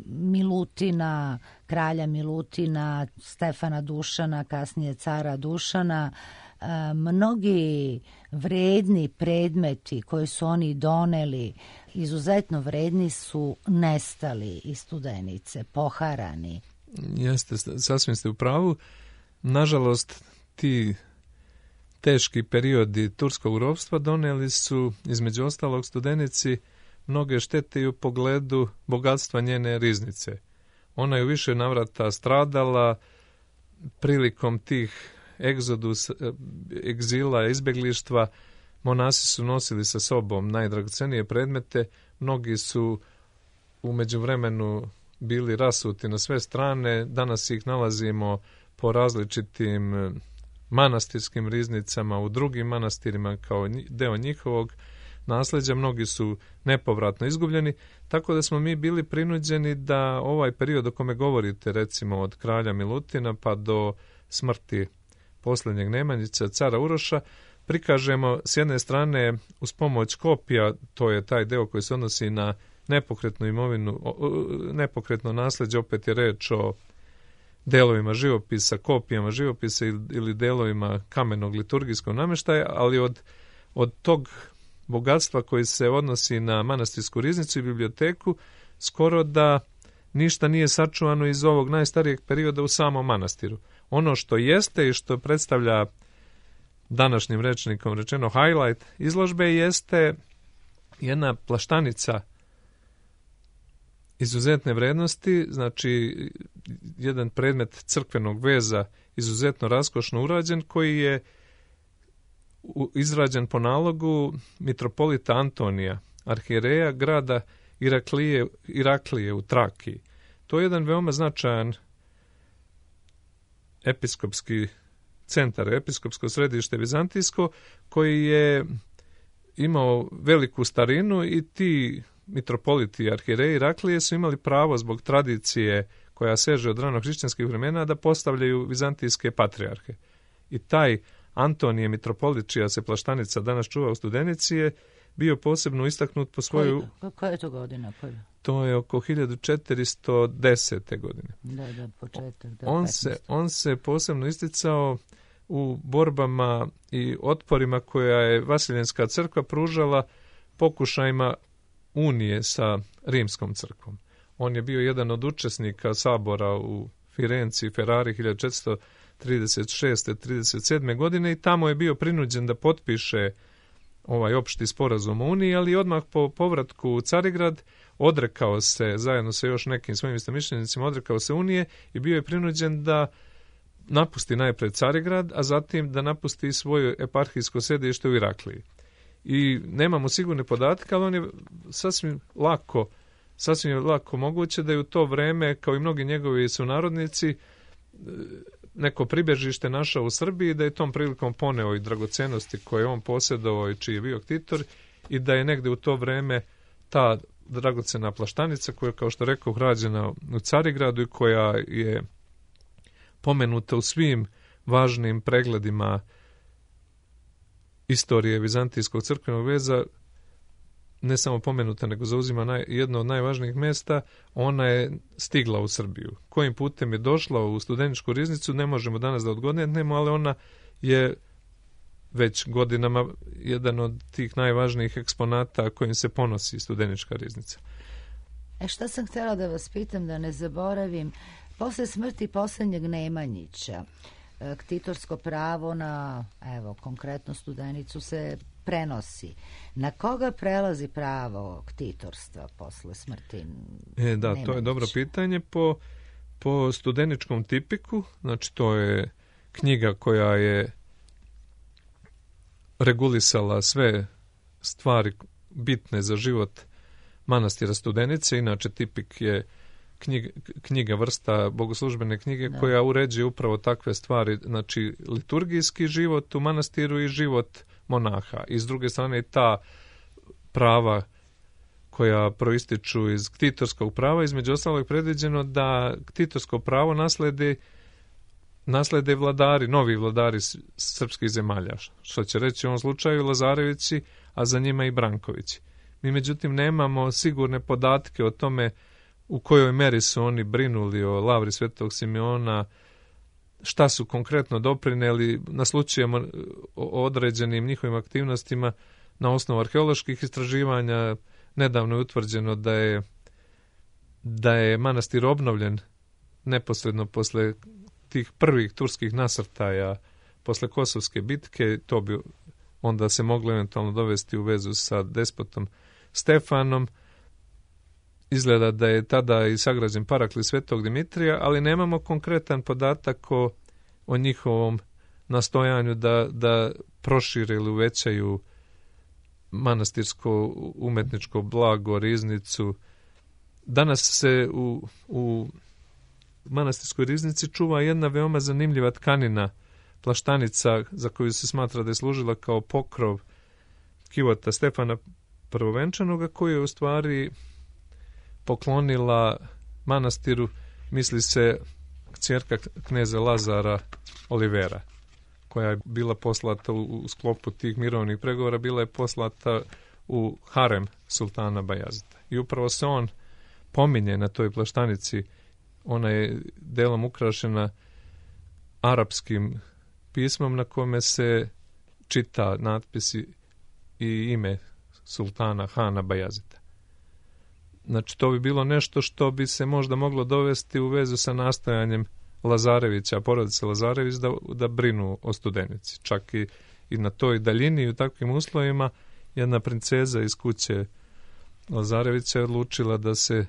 Milutina, kralja Milutina, Stefana Dušana, kasnije cara Dušana, mnogi vredni predmeti koje su oni doneli, izuzetno vredni, su nestali iz Studenice, poharani. Jeste, sasvim ste u pravu. Nažalost, ti teški periodi turskog ropstva doneli su, između ostalog, Studenici mnoge štete i u pogledu bogatstva njene riznice. Ona je u više navrata stradala prilikom tih egzila, izbeglištva. Monasi su nosili sa sobom najdragocenije predmete, mnogi su u međuvremenu bili rasuti na sve strane, danas ih nalazimo po različitim manastirskim riznicama, u drugim manastirima kao deo njihovog nasleđa, mnogi su nepovratno izgubljeni, tako da smo mi bili prinuđeni da ovaj period o kome govorite, recimo od kralja Milutina pa do smrti posljednjeg Nemanjića, cara Uroša, prikažemo s jedne strane uz pomoć kopija, to je taj deo koji se odnosi na nepokretnu imovinu, nepokretno nasleđe, opet je reč o delovima živopisa, kopijama živopisa ili delovima kamenog liturgijskog namještaja, ali od tog bogatstva koji se odnosi na manastirsku riznicu i biblioteku, skoro da ništa nije sačuvano iz ovog najstarijeg perioda u samom manastiru. Ono što jeste i što predstavlja današnjim rečnikom rečeno highlight izložbe jeste jedna plaštanica izuzetne vrednosti, znači jedan predmet crkvenog veza izuzetno raskošno urađen, koji je izrađen po nalogu mitropolita Antonija, arhijereja grada Iraklije u Trakiji. To je jedan veoma značajan episkopski centar, episkopsko središte vizantijsko, koji je imao veliku starinu i ti mitropoliti i arhijereji Iraklije su imali pravo zbog tradicije koja seže od rano hrišćanskih vremena da postavljaju vizantijske patrijarhe. I taj Antonije mitropolit, čija se plaštanica danas čuva u Studenici, je bio posebno istaknut po svoju... Koja je to godina? To je oko 1410. godine. Da, početak. On se posebno isticao u borbama i otporima koja je Vasiljenska crkva pružala pokušajima unije sa Rimskom crkvom. On je bio jedan od učesnika sabora u Firenci, Ferrari 1436-37. godine i tamo je bio prinuđen da potpiše ovaj opšti sporazum o uniji, ali odmah po povratku u Carigrad odrekao se, zajedno sa još nekim svojim istomišljenicima, odrekao se unije i bio je prinuđen da napusti najpred Carigrad, a zatim da napusti svoje eparhijsko sedište u Irakliji. I nemamo sigurne podatke, ali on je sasvim lako moguće da je u to vreme, kao i mnogi njegovi sunarodnici, neko pribježište našao u Srbiji, da je tom prilikom poneo i dragocenosti koje on posjedovao i čiji je bio ktitor i da je negde u to vreme ta dragocena plaštanica koja je, kao što rekao, rađena u Carigradu i koja je pomenuta u svim važnim pregledima istorije vizantijskog crkvenog veza, ne samo pomenuta, nego zauzima jedno od najvažnijih mjesta, ona je stigla u Srbiju. Kojim putem je došla u Studeničku riznicu, ne možemo danas da odgodnemo, ali ona je već godinama jedan od tih najvažnijih eksponata kojim se ponosi Studenička riznica. Šta sam htjela da vas pitam, da ne zaboravim, posle smrti posljednjeg Nemanjića, ktitorsko pravo na, evo, konkretno Studenicu se prenosi. Na koga prelazi pravo ktitorstva posle smrti Nemanjića? To je dobro pitanje. Po Studeničkom tipiku, znači to je knjiga koja je regulisala sve stvari bitne za život manastira Studenice. Inače, tipik je knjiga, vrsta bogoslužbene knjige koja uređuje upravo takve stvari, znači liturgijski život u manastiru i život monaha. I s druge strane ta prava koja proističu iz ktitorskog prava, između ostalog je predviđeno da ktitorsko pravo naslede vladari, novi vladari srpskih zemalja, što će reći u ovom slučaju Lazarevići, a za njima i Brankovići. Mi međutim nemamo sigurne podatke o tome u kojoj meri su oni brinuli o lavri Svetog Simeona, šta su konkretno doprineli. Naslućujemo o određenim njihovim aktivnostima na osnovu arheoloških istraživanja. Nedavno je utvrđeno da je manastir obnovljen neposredno posle tih prvih turskih nasrtaja, posle Kosovske bitke. To bi onda se moglo eventualno dovesti u vezu sa despotom Stefanom. Izgleda da je tada i sagrađen paraklis Svetog Dimitrija, ali nemamo konkretan podatak o njihovom nastojanju da prošire ili uvećaju manastirsko umetničko blago, riznicu. Danas se u manastirskoj riznici čuva jedna veoma zanimljiva tkanina, plaštanica, za koju se smatra da je služila kao pokrov kivota Stefana Prvovenčanoga, koju je u stvari poklonila manastiru, misli se, kćerka kneza Lazara Olivera, koja je bila poslata u sklopu tih mirovnih pregovora, bila je poslata u harem sultana Bajazita. I upravo se on pominje na toj plaštanici. Ona je delom ukrašena arapskim pismom na kome se čita natpisi i ime sultana Hana Bajazita. Znači, to bi bilo nešto što bi se možda moglo dovesti u vezu sa nastojanjem Lazarevića, porodice Lazarević, da brinu o Studenici. Čak i na toj daljini i u takvim uslovima jedna princeza iz kuće Lazarevića je odlučila da se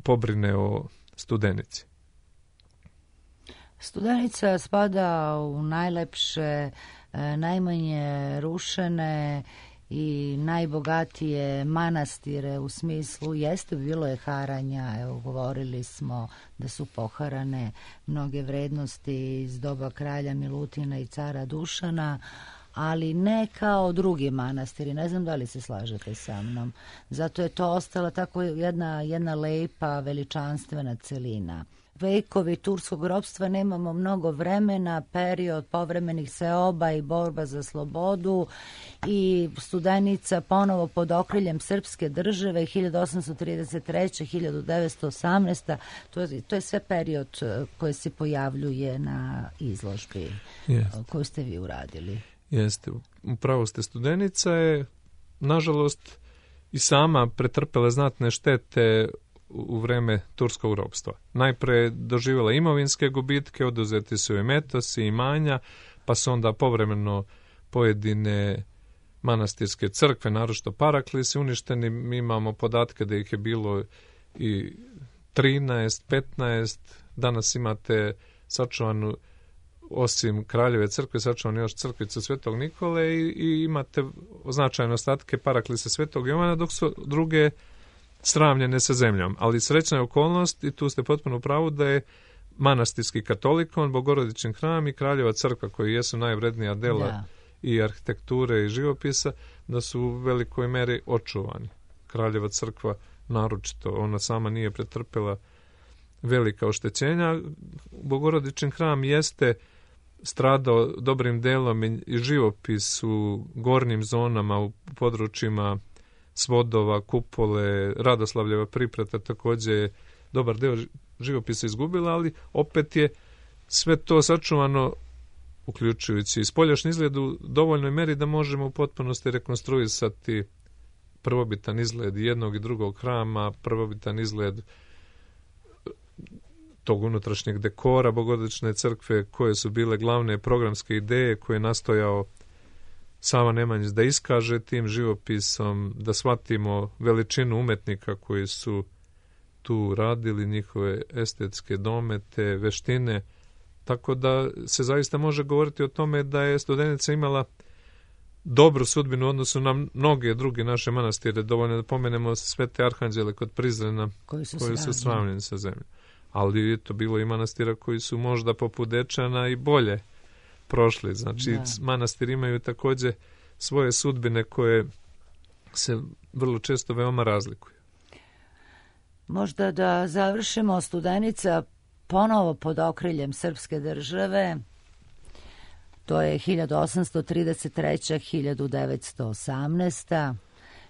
pobrine o Studenici. Studenica spada u najlepše, najmanje rušene i najbogatije manastire, u smislu, jeste, bilo je haranja, evo, govorili smo da su poharane mnoge vrednosti iz doba kralja Milutina i cara Dušana, ali ne kao drugi manastiri. Ne znam da li se slažete sa mnom. Zato je to ostala tako jedna lepa, veličanstvena celina. Vekovi turskog ropstva, nemamo mnogo vremena, period povremenih seoba i borba za slobodu i Studenica ponovo pod okriljem srpske države 1833. 1918. To je sve period koji se pojavljuje na izložbi koju ste vi uradili. Jeste, upravo ste. Studenica je, nažalost, i sama pretrpela znatne štete u vreme turskog ropstva. Najpre doživjela imovinske gubitke, oduzeti su joj metosi, imanja, pa su onda povremeno pojedine manastirske crkve, naročito paraklisi, uništeni. Mi imamo podatke da ih je bilo i 13, 15. Danas imate sačuvanu, osim Kraljeve crkve, sačuvanu još crkvicu Svetog Nikole i imate značajne ostatke paraklisa Svetog Jovana, dok su druge sravnjene sa zemljom. Ali srećna je okolnost, i tu ste potpuno u pravu, da je manastirski katolikon, Bogorodičin hram i Kraljeva crkva, koji jesu najvrednija dela i arhitekture i živopisa, da su u velikoj meri očuvani. Kraljeva crkva naročito, ona sama nije pretrpela velika oštećenja. Bogorodičin hram jeste stradao dobrim delom i živopis u gornjim zonama, u područjima svodova, kupole, Radoslavljeva priprata također je dobar deo živopisa izgubila, ali opet je sve to sačuvano, uključujući i spoljašnji izgled u dovoljnoj meri da možemo u potpunosti rekonstruisati prvobitan izgled jednog i drugog hrama, prvobitan izgled tog unutrašnjeg dekora Bogorodične crkve, koje su bile glavne programske ideje koje je nastojao Sava Nemanjić da iskaže tim živopisom, da shvatimo veličinu umetnika koji su tu radili, njihove estetske domete, veštine, tako da se zaista može govoriti o tome da je Studenica imala dobru sudbinu u odnosu na mnoge druge naše manastire. Dovoljno da pomenemo Svete Arhanđele kod Prizrena koji su sravnjeni sa zemljom. Ali je to bilo i manastira koji su možda poput Dečana i bolje prošli. Znači, manastiri imaju također svoje sudbine koje se vrlo često veoma razlikuju. Možda da završimo, Studenica ponovo pod okriljem srpske države, to je 1833. 1918.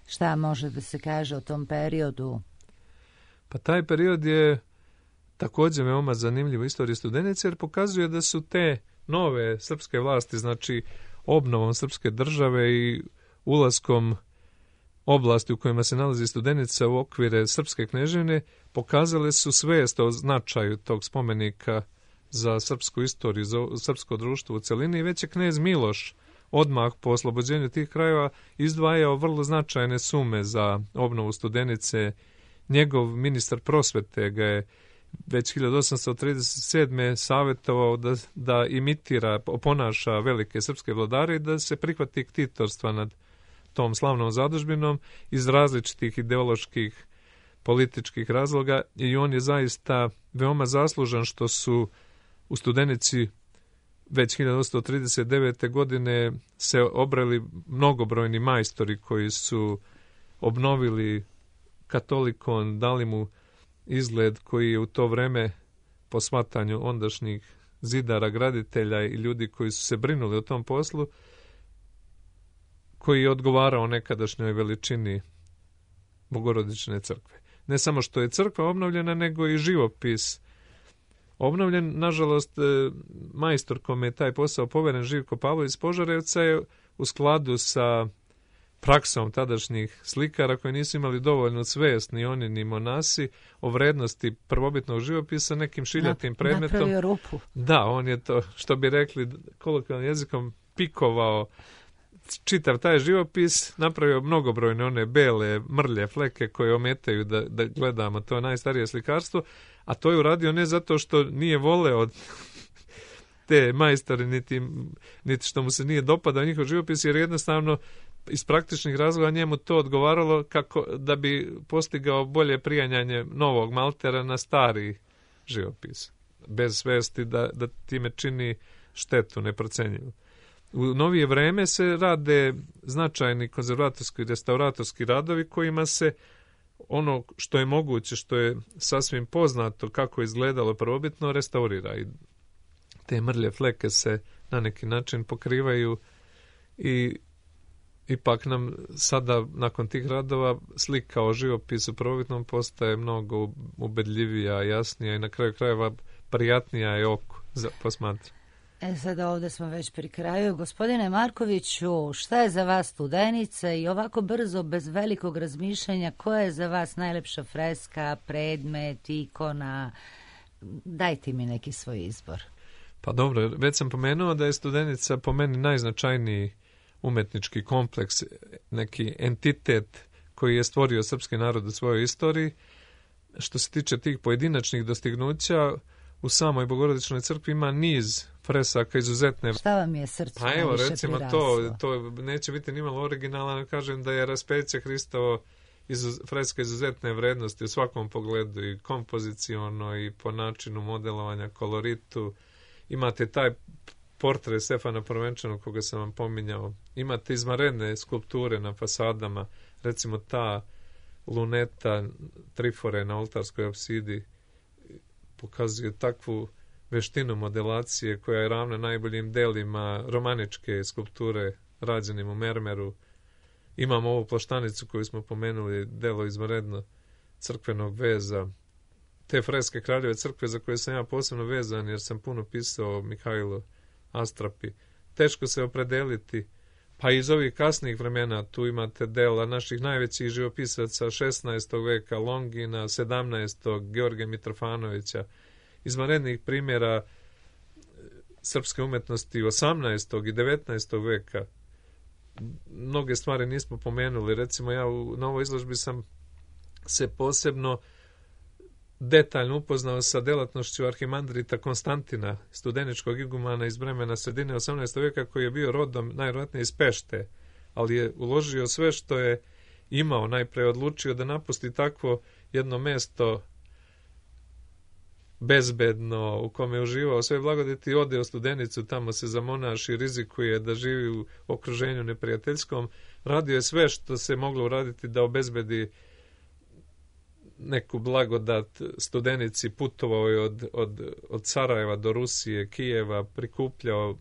Šta može da se kaže o tom periodu? Pa taj period je također veoma zanimljiv u istoriji Studenice, jer pokazuje da su te nove srpske vlasti, znači obnovom srpske države i ulaskom oblasti u kojima se nalazi Studenica u okvire srpske kneževine, pokazale su svijest o značaju tog spomenika za srpsku istoriju, za srpsko društvo u celini. I već je knez Miloš odmah po oslobođenju tih krajeva izdvajao vrlo značajne sume za obnovu Studenice. Njegov ministar prosvete ga je već 1837. savjetovao da imitira, oponaša velike srpske vladare i da se prihvati ktitorstva nad tom slavnom zadužbinom iz različitih ideoloških, političkih razloga, i on je zaista veoma zaslužan što su u Studenici već 1839. godine se obrali mnogobrojni majstori koji su obnovili katolikon, dali mu izgled koji je u to vreme, po shvatanju ondašnjih zidara, graditelja i ljudi koji su se brinuli o tom poslu, koji je odgovarao nekadašnjoj veličini Bogorodične crkve. Ne samo što je crkva obnovljena, nego i živopis obnovljen. Nažalost, majstor kome je taj posao poveren, Živko Pavlović iz Požarevca, je u skladu sa praksom tadašnjih slikara koji nisu imali dovoljnu svijest, ni oni ni monasi, o vrednosti prvobitnog živopisa, nekim šiljatim predmetom. Napravio rupu. Da, on je to, što bi rekli kolokvijalnim jezikom, pikovao čitav taj živopis, napravio mnogobrojne one bele mrlje fleke koje ometaju da gledamo to najstarije slikarstvo, a to je uradio ne zato što nije voleo te majstore, niti što mu se nije dopadao njihov živopis, jer jednostavno iz praktičnih razloga njemu to odgovaralo kako da bi postigao bolje prijanjanje novog maltera na stari živopis, bez svesti da time čini štetu neprocenjivu. U novije vreme se rade značajni konzervatorski i restauratorski radovi kojima se ono što je moguće, što je sasvim poznato kako je izgledalo prvobitno, restaurira. I te mrlje fleke se na neki način pokrivaju i ipak nam sada, nakon tih radova, slika o živopisu prvobitnom postaje mnogo ubedljivija, jasnija i na kraju krajeva prijatnija je oko za posmatranje. Sada ovdje smo već pri kraju. Gospodine Markoviću, šta je za vas Studenica i ovako brzo, bez velikog razmišljanja, koja je za vas najlepša freska, predmet, ikona? Dajte mi neki svoj izbor. Pa dobro, već sam pomenuo da je Studenica po meni najznačajniji umetnički kompleks, neki entitet koji je stvorio srpski narod u svojoj istoriji. Što se tiče tih pojedinačnih dostignuća, u samoj Bogorodičnoj crkvi ima niz fresaka izuzetne. Šta vam je srce pa evo, najviše recimo priraslo? to neće biti nimalo originalno, kažem da je raspeće Hristovo freska izuzetne vrednosti u svakom pogledu, i kompoziciono i po načinu modelovanja, koloritu. Imate taj portret Stefana Prvenčanog koga sam vam pominjao. Imate izvanredne skulpture na fasadama, recimo ta luneta trifore na oltarskoj apsidi pokazuje takvu veštinu modelacije koja je ravna najboljim delima romaničke skulpture rađenim u mermeru. Imamo ovu plaštanicu koju smo pomenuli, delo izvanredno crkvenog veza. Te freske Kraljeve crkve za koje sam ja posebno vezan jer sam puno pisao o Mihajlu Astrapi. Teško se opredeliti. Pa iz ovih kasnijih vremena tu imate dela naših najvećih živopisaca 16. veka, Longina, 17. Georgija Mitrofanovića, izvanrednih primjera srpske umetnosti 18. i 19. veka. Mnoge stvari nismo pomenuli. Recimo ja na ovoj izložbi sam se posebno detaljno upoznao sa delatnošću arhimandrita Konstantina, studeničkog igumana iz vremena sredine 18. veka, koji je bio rodom najvjerojatnije iz Pešte, ali je uložio sve što je imao. Najpre odlučio da napusti takvo jedno mesto bezbedno u kome je uživao sve blagodeti, ode u Studenicu, tamo se zamonaši, rizikuje da živi u okruženju neprijateljskom. Radio je sve što se moglo uraditi da obezbedi neku blagodat Studenici, putovao je od Sarajeva do Rusije, Kijeva, prikupljao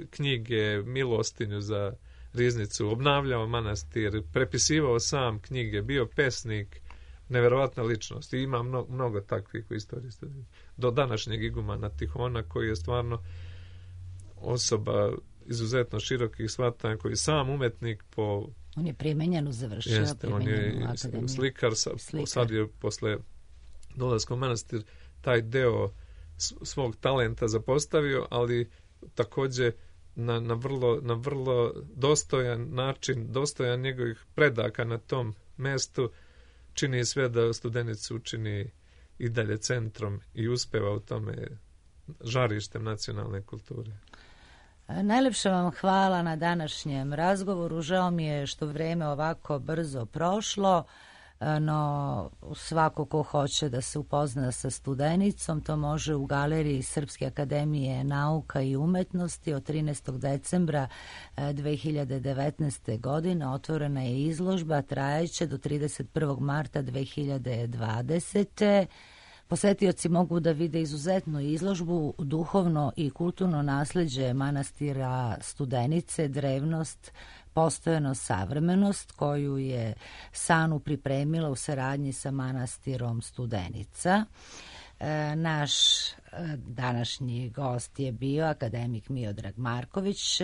knjige, milostinju za riznicu, obnavljao manastir, prepisivao sam knjige, bio pesnik, neverovatna ličnost. I ima mnogo takvih u istoriji. Do današnjeg igumana Tihona, koji je stvarno osoba izuzetno širokih shvatanja, koji je sam umetnik po... On je primenjenu završio. On je slikar, sad je posle dolaska u manastir taj deo svog talenta zapostavio, ali također na vrlo dostojan način, dostojan njegovih predaka na tom mestu, čini sve da Studenicu učini i dalje centrom i uspeva u tome žarištem nacionalne kulture. Najlepša vam hvala na današnjem razgovoru. Žao mi je što vrijeme ovako brzo prošlo, no svako ko hoće da se upozna sa Studenicom, to može u galeriji Srpske akademije nauka i umetnosti. Od 13. decembra 2019. godine otvorena je izložba, trajeće do 31. marta 2020. Posetioci mogu da vide izuzetnu izložbu, duhovno i kulturno nasleđe manastira Studenice, drevnost, postojano savremenost, koju je SANU pripremila u saradnji sa manastirom Studenica. Naš današnji gost je bio akademik Miodrag Marković,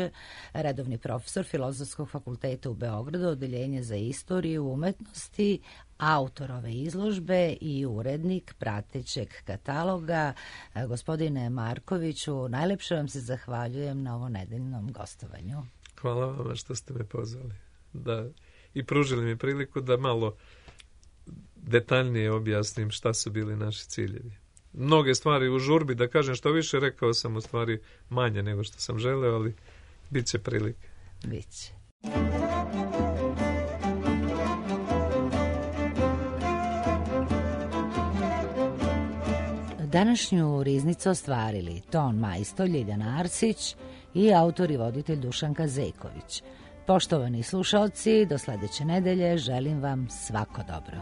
redovni profesor Filozofskog fakulteta u Beogradu, odeljenje za istoriju umetnosti, autor ove izložbe i urednik pratećeg kataloga. Gospodine Markoviću, najlepše vam se zahvaljujem na ovo nedeljnom gostovanju. Hvala vam što ste me pozvali i pružili mi priliku da malo detaljnije objasnim šta su bili naši ciljevi. Mnoge stvari u žurbi, da kažem što više, rekao sam u stvari manje nego što sam želeo, ali bit će prilike. Biće. Današnju riznicu ostvarili ton majstor Ljiljana Arsić i autor i voditelj Dušanka Zejković. Poštovani slušalci, do sledeće nedelje želim vam svako dobro.